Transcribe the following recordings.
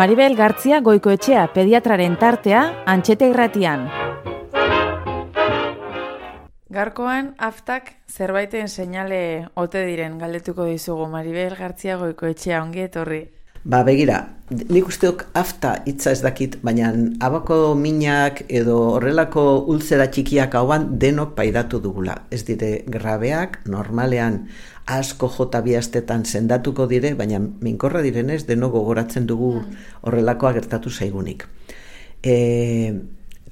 Maribel Gartzia Goikoetxea pediatraren tartea Antxete Irratian. Gaurkoan aftak zerbaiten seinale ote diren galdetuko dizugu. Maribel Gartzia Goikoetxea, ongi etorri. Begira, nik usteok afta hitza ez dakit, baina abako minak edo horrelako ultzera txikiak hauan denok paidatu dugula. Ez dire grabeak, normalean asko jota bi astetan sendatuko dire, baina minkorra direnez denok gogoratzen dugu horrelakoa gertatu zaigunik.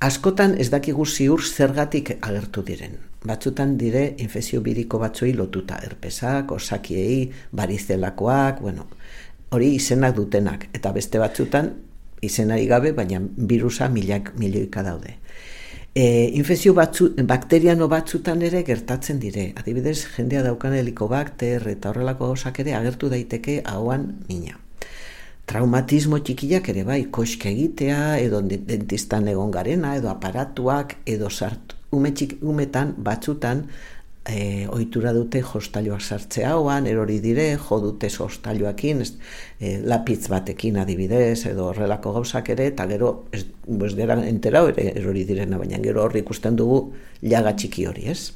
Askotan ez dakigu ziur zergatik agertu diren. Batzutan dire infekzio biriko batzuei lotuta, herpesak, osakiei, barizelakoak, hori izenak dutenak, eta beste batzutan izenari gabe, baina birusa milioika daude. Infekzio bakteriano batzutan ere gertatzen dire. Adibidez, jendea daukan helikobakter eta horrelako gauzak ere agertu daiteke ahoan mina. Traumatismo txikiak ere bai, koske egitea, edo dentistan egon garena, edo aparatuak, edo umetan batzutan ohitura dute jostailuak sartzea ahoan, erori dire, jo dute jostailuakin, lapitz batekin adibidez, edo horrelako gauzak ere, eta gero, ez dira enterau ere erori direna, baina gero horri ikusten dugu llaga txiki hori, ez?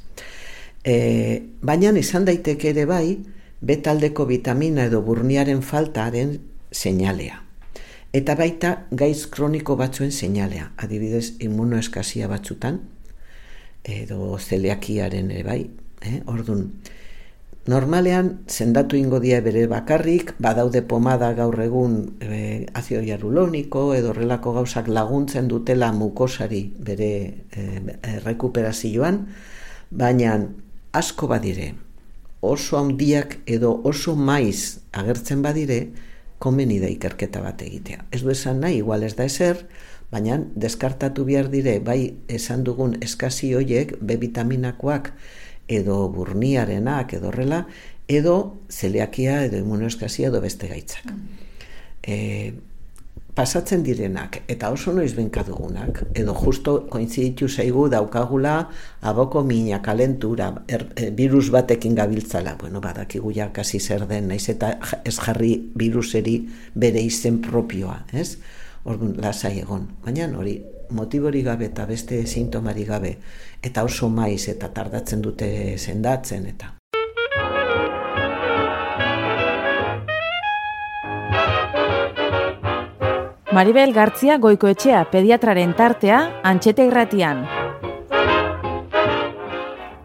Baina izan daiteke ere bai, B-taldeko vitamina edo burniaren faltaren seinalea. Eta baita gaiz kroniko batzuen seinalea, adibidez immunoeskasia batzutan, edo zeliakiaren ere bai, Ordun, normalean sendatu ingo dia bere bakarrik, badaude pomada gaur egun azido hialuroniko edo horrelako gauzak laguntzen dutela mukosari bere rekuperazioan, baina asko badire, oso handiak edo oso maiz agertzen badire, komeni da ikerketa bat egitea. Ez du esan nahi, igual ez da ezer, baina deskartatu behar dire, bai esan dugun eskasi hoiek, B-vitaminakoak, edo burniarenak, edo horrela, edo zeliakia, edo immunoeskasia, edo beste gaitzak. Pasatzen direnak, eta oso noiz benka dugunak, edo justo kointziditu zaigu daukagula aboko mina, kalentura, virus batekin gabiltzala. Badakigu ja kasi zer den, naiz eta ez jarri viruseri bere izen propioa, ez? Orduan, lasai egon. Baina hori, motibori gabe eta beste sintomari gabe, eta oso maiz eta tardatzen dute sendatzen eta. Maribel Gartzia Goikoetxea pediatraren tartea Antxete Irratian.